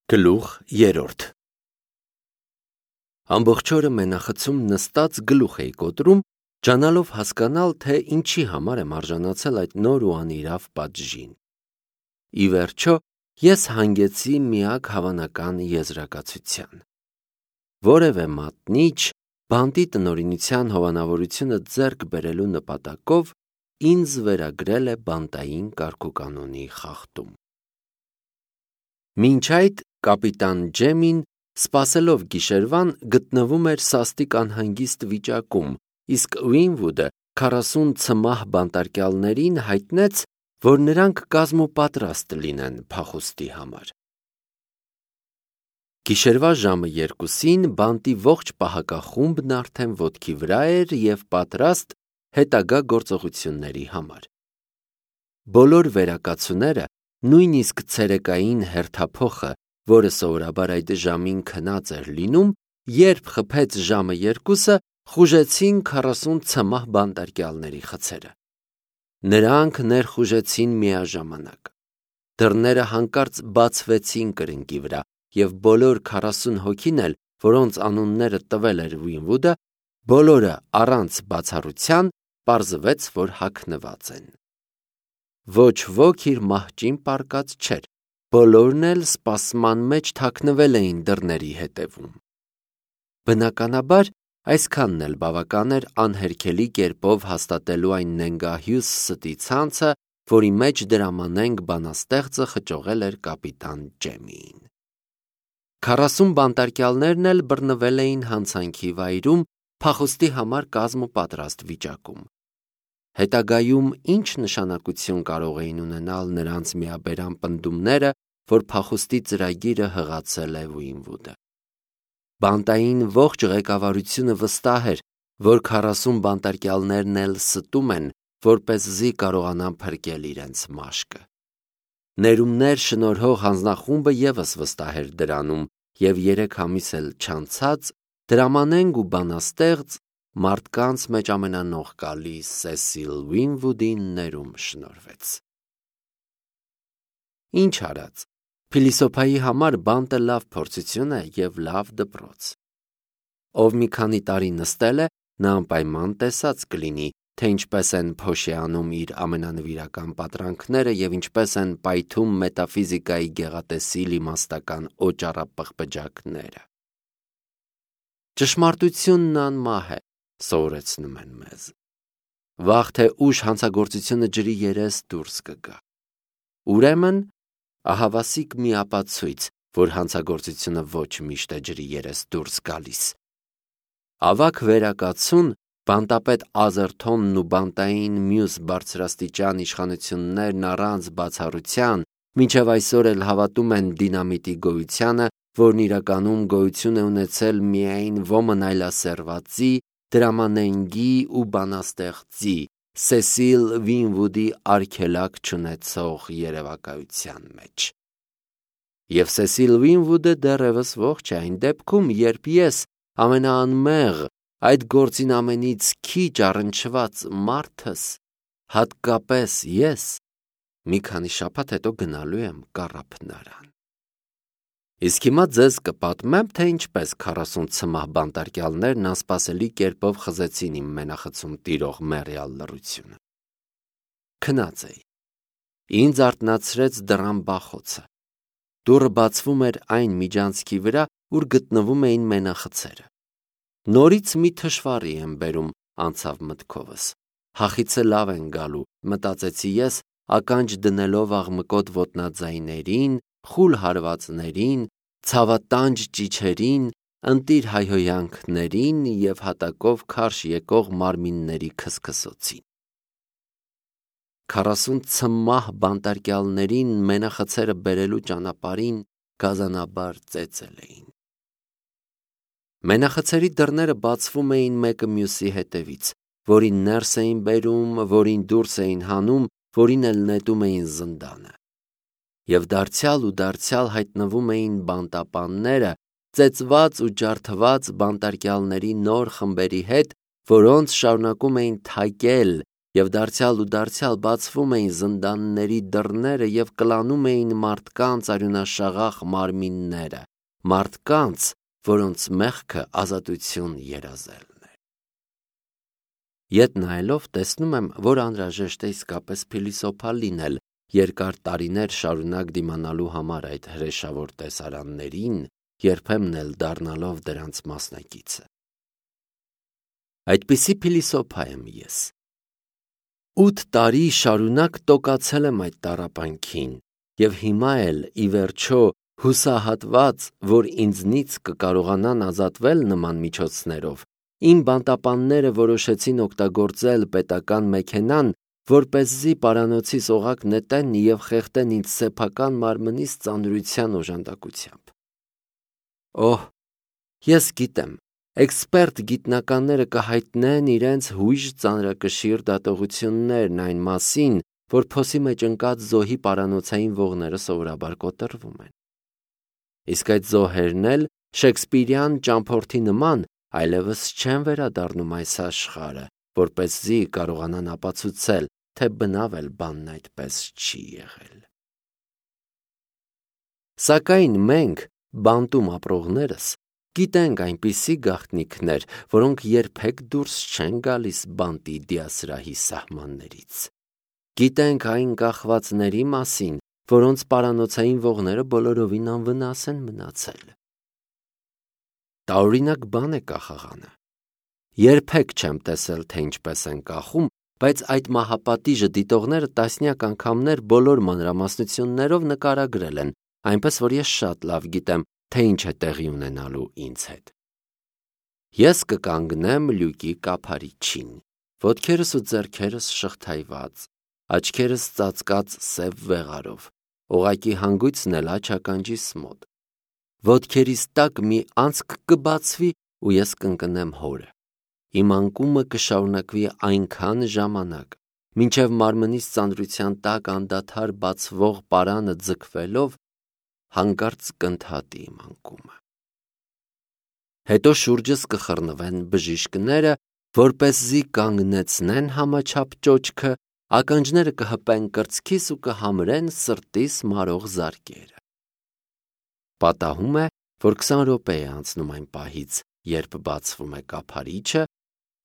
Գլուխ 3 Ամբողջ օրը մենախցում նստած գլուխ էի կոտրում, ջանալով հասկանալ, թե ինչի համար եմ արժանացել այդ նոր ու անիրավ պատժին։ Ի վերջո, ես հանգեցի միակ հավանական եզրակացության։ Որևէ մատնիչ բանտի տնօրինության հովանավորությունը ձեռք բերելու նպատակով ինձ վերագրել է բանտային կարգուկանոնի խախտում։ Մինչ այդ կապիտան Ջեմին, սպասելով գիշերվան, գտնվում էր սաստիկ անհանգիստ վիճակում, իսկ Ուինվուդը 40 ցմահ բանտարկյալներին հայտնեց, որ նրանք կազմուպատրաստ լինեն փախուստի համար։ Գիշերվա ժամը 2-ին բանտի ողջ պահակախումբն արդեն ոտքի վրա էր և պատրաստ հետագա գործողությունների համար։ Բոլոր վերակացուները, նույնիսկ ցերեկային հերթափոխը, որը սովորաբար այդ ժամին քնած էր լինում, երբ խփեց ժամը 2-ը, խուժեցին 40 ցմահ բանտարկյալների խցերը։ Նրանք ներխուժեցին միաժամանակ։ Դռները հանկարծ բացվեցին կրկնակի վրա, և բոլոր 40 հոգին էլ, որոնց անունները տվել էր Ուինվուդը, բոլորը առանց բացառության պարզվեց, որ հագնված են։ Ոչ ոք իր մահճին պառկած չէր, բոլորն էլ սպասման մեջ թաքնվել էին դռների հետևում։ Բնականաբար, այսքանն էլ բավական էր անհերքելի կերպով հաստատելու այն նենգահյուս ստի ցանցը, որի մեջ դրամանենք բանաստեղծը խճողել էր կապիտան Ջեմիին։ 40 բանտարկյալներն էլ բռնվել էին հանցանքի վայրում, փախուստի համար կազմուպատրաստ վիճակում։ Հետագայում ինչ նշանակություն կարող էին ունենալ նրանց միաբերան պնդումները, որ փախուստի ծրագիրը հղացել է Ուինվուդը։ Բանտային ողջ ղեկավարությունը վստահ էր, որ 40 բանտարկյալներն էլ ստում են, որպեսզի կարողանան փրկել իրենց մաշկը։ Ներումներ շնորհող հանձնախումբը ևս վստահ էր դրանում, և 3 ամիս էլ չանցած դրամանենք ու բանաստեղծ մարդկանց մեջ ամենանողկալի Սեսիլ Ուինվուդին ներում շնորհվեց։ Ինչ արած, փիլիսոփայի համար բանտը լավ փորձություն է և լավ դպրոց։ Ով մի քանի տարի նստել է, նա անպայման տեսած կլինի, թե ինչպես են փոշիանում իր ամենանվիրական պատրանքները և ինչպես են պայթում մետաֆիզիկայի գեղատեսիլ իմաստական օճառապղպջակները։ Ճշմարտությունն անմահ է, սովորեցնում են մեզ։ Վաղ թե ուշ հանցագործությունը ջրի երես դուրս կգա։ Ուրեմն, ահավասիկ մի ապացույց, որ հանցագործությունը ոչ միշտ է ջրի երես դուրս գալիս։ Ավագ վերակացուն, բանտապետ Ազերթոնն ու բանտային մյուս բարձրաստիճան իշխանություններն առանց բացառության մինչև այսօր էլ հավատում են դինամիտի գոյությանը, որն իրականում գոյություն է ունեցել միայն ոմն այլասերվածի, դրամանենգի ու բանաստեղծի Սեսիլ Ուինվուդի արգելակ չունեցող երևակայության մեջ։ Եվ Սեսիլ Ուինվուդը դեռևս ողջ է այն դեպքում, երբ ես, ամենաանմեղ, այդ գործին ամենից քիչ առնչված մարդս, հատկապես ես, մի քանի շաբաթ հետո գնալու եմ կառափնարան։ Իսկ հիմա ձեզ կպատմեմ, թե ինչպես 40 ցմահ բանտարկյալներն անսպասելի կերպով խզեցին իմ մենախցում տիրող մեռյալ լռությունը։ Քնած էի։ Ինձ արթնացրեց դռան բախոցը։ Դուռը բացվում էր այն միջանցքի վրա, ուր գտնվում էին մենախցերը։ Նորից մի թշվառի եմ բերում, անցավ մտքովս։ Հախիցը լավ են գալու, մտածեցի ես, ականջ դնելով աղմկոտ ոտնաձայներին, խուլ հարվածներին, ցավատանջ ճիչերին, ընտիր հայհոյանքներին և հատակով քարշ եկող մարմինների քսքսոցին։ 40 ցմահ բանտարկյալներին մենախցերը բերելու ճանապարհին գազանաբար ծեծել էին։ Մենախցերի դռները բացվում էին մեկը մյուսի հետևից, որին ներս էին բերում, որին դուրս էին հանում, որին էլ նետում էին զնդանը։ Եվ դարձյալ հայտնվում էին բանտապանները, ծեծված ու ջարդված բանտարկյալների նոր խմբերի հետ, որոնց շարունակում էին թակել և դարձյալ ու դարձյալ բացվում էին զնդանների դռները և կլանում էին մարդկանց արյունաշաղախ մարմինները, մարդկանց, որոնց մեղքը ազատություն երազելն էր։ Ետ նայելով տեսնում եմ, որ անհրաժեշտ է իսկապես փիլիսոփա լինել, երկար տարիներ շարունակ դիմանալու համար այդ հրեշավոր տեսարաններին, երբեմն էլ դառնալով դրանց մասնակիցը։ Այդպիսի փիլիսոփա եմ ես։ 8 տարի շարունակ տոկացել եմ այդ տառապանքին, և հիմա էլ, ի վերջո, հուսահատված, որ ինձնից կկարողանան ազատվել նման միջոցներով, իմ բանտապանները որոշեցին օգտագործել պետական մեքենան, որպեսզի պարանոցիս օղակ նետեն և խեղդեն ինձ սեփական մարմնիս ծանրության օժանդակությամբ։ Օհ, ես գիտեմ, էքսպերտ գիտնականները կհայտնեն իրենց հույժ ծանրակշիռ դատողություններն այն մասին, որ փոսի մեջ ընկած զոհի պարանոցային ողները սովորաբար կոտրվում են։ Իսկ այդ զոհերն էլ շեքսպիրյան ճամփորդի նման այլևս չեն վերադառնում այս աշխարհը, որպեսզի կարողանան ապացուցել, թե բնավ էլ բանն այդպես չի եղել։ Սակայն մենք, բանտում ապրողներս, գիտենք այնպիսի գաղտնիքներ, որոնք երբեք դուրս չեն գալիս բանտի դիասրահի սահմաններից։ Գիտենք այն կախվածների մասին, որոնց պարանոցային ողները բոլորովին անվնաս են մնացել։ Տարօրինակ բան է կախաղանը։ Երբեք չեմ տեսել, թե ինչպես են կախում, բայց այդ մահապատիժը դիտողները տասնյակ անգամներ բոլոր մանրամասնություններով նկարագրել են, այնպես որ ես շատ լավ գիտեմ, թե ինչ է տեղի ունենալու ինձ հետ։ Ես կկանգնեմ լյուկի կափարիչին, ոտքերս ու ձեռքերս շղթայված, աչքերս ծածկած սև վեղարով, օղակի հանգույցն էլ աջ ականջիս մոտ։ Ոտքերիս տակ մի անցք կբացվի ու ես կընկնեմ հորը։ Իմ անկումը կշարունակվի այնքան ժամանակ, մինչև մարմնիս ծանրության տակ անդադար բացվող պարանը ձգվելով հանկարծ կընդհատի իմ անկումը։ Հետո շուրջս կխռնվեն բժիշկները, որպեսզի կանգնեցնեն համաչափ ճոճքը, ականջները կհպեն կրծքիս ու կհամրեն սրտիս մարող զարկերը։ Պատահում է, որ 20 րոպե է անցնում այն պահից, երբ բացվում է կափարիչը,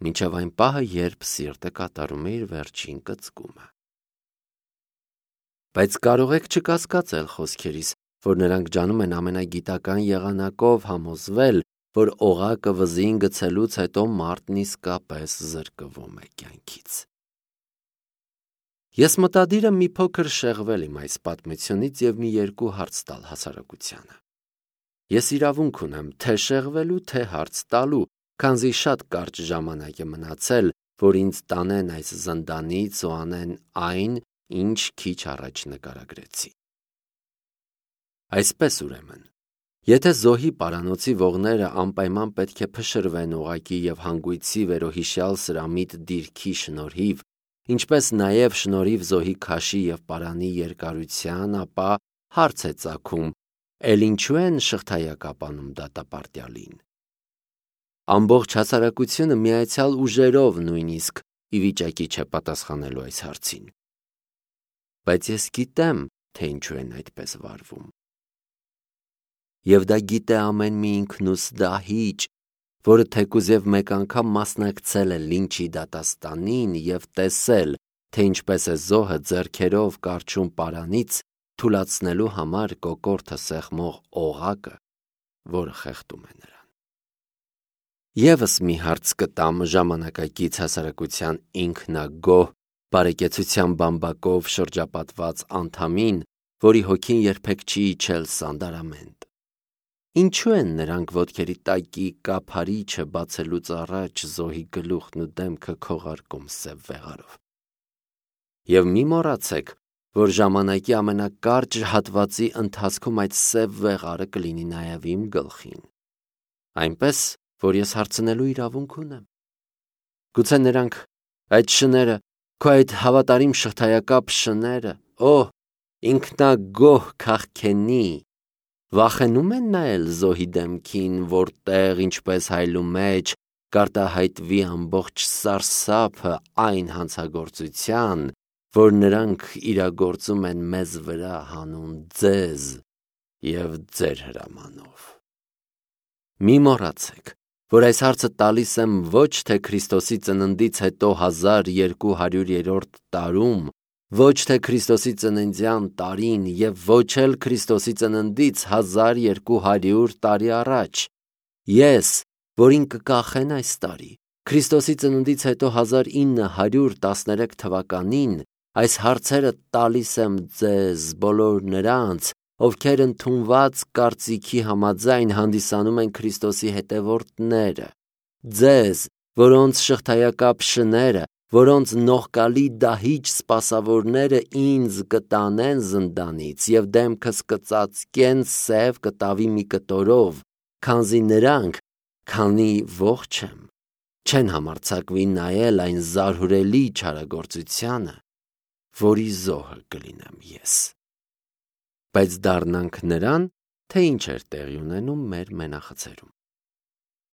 մինչև այն պահը, երբ սիրտը կատարում է իր վերջին կծկումը։ Բայց կարող եք չկասկածել խոսքերիս, որ նրանք ջանում են ամենագիտական եղանակով համոզվել, որ օղակը վզին գցելուց հետո մարդն իսկապես զրկվում է կյանքից։ Ես մտադիր եմ մի փոքր շեղվել իմ այս պատմությունից և մի երկու հարց տալ հասարակությանը։ Ես իրավունք ունեմ թե շեղվելու, թե հարց տալու, քանզի շատ կարճ ժամանակ է մնացել, որ ինձ տանեն այս զնդանից ու անեն այն, ինչ քիչ առաջ նկարագրեցի։ Այսպես ուրեմն, եթե զոհի պարանոցի ողները անպայման պետք է փշրվեն օղակի և հանգույցի վերոհիշյալ սրամիտ դիրքի շնորհիվ, ինչպես նաև շնորհիվ զոհի քաշի և պարանի երկարության, ապա հարց է ծագում, էլ ինչու են շղթայակապանում դատապարտյալին։ Ամբողջ հասարակությունը միացյալ ուժերով նույնիսկ ի վիճակի չէ պատասխանելու այս հարցին։ Բայց ես գիտեմ, թե ինչու են այդպես վարվում։ Եվ դա գիտե ամեն մի ինքնուս դահիճ, որը թեկուզ և մեկ անգամ մասնակցել է լինչի դատաստանին և տեսել, թե ինչպես է զոհը ձեռքերով կառչում պարանից, թուլացնելու համար կոկորդը սեղմող օղակը, որը խեղդում է նրան։ Եվս մի հարց կտամ ժամանակակից հասարակության ինքնագոհ, բարեկեցության բամբակով շրջապատված անդամին, որի հոգին երբեք չի իջել սանդարամենտ։ Ինչու են նրանք ոտքերի տակի կափարիչը բացելուց առաջ զոհի գլուխն ու դեմքը քողարկում սև վեղարով։ Եվ մի մոռացեք, որ ժամանակի ամենակարճ հատվածի ընթացքում այդ սև վեղարը կլինի նաև իմ գլխին։ Այնպես, որ ես հարցնելու իրավունք ունեմ։ Գուցե նրանք, այդ շները, քո այդ հավատարիմ շղթայակապ շները, ինքնագոհ քաղքենի, վախենում են նայել զոհի դեմքին, որտեղ, ինչպես հայլու մեջ, կարտահայտվի ամբողջ սարսափը այն հանցագործության, որ նրանք իրագործում են մեզ վրա հանուն ձեզ և ձեր հրամանով։ Մի մոռացեք, որ այս հարցը տալիս եմ ոչ թե Քրիստոսի ծննդից հետո 1200-րդ տարում, ոչ թե Քրիստոսի ծննդյան տարին և ոչ էլ Քրիստոսի ծննդից 1200 տարի առաջ։ Ես, որին կկախեն այս տարի, Քրիստոսի ծննդից հետո 1913 թվականին, այս հարցերը տալիս եմ ձեզ բոլոր նրանց, ովքեր ընդունված կարծիքի համաձայն հանդիսանում են Քրիստոսի հետևորդները, ձեզ, որոնց շղթայակապ շները, որոնց նողկալի դահիճ սպասավորները ինձ կտանեն զնդանից և դեմքս կծածկեն սև կտավի մի կտորով, քանզի նրանք, քանի ողջ եմ, չեն համարձակվի նայել այն զարհուրելի չարագործությանը, որի զոհը կլինեմ ես։ Բայց դառնանք նրան, թե ինչ էր տեղի ունենում մեր մենախցերում։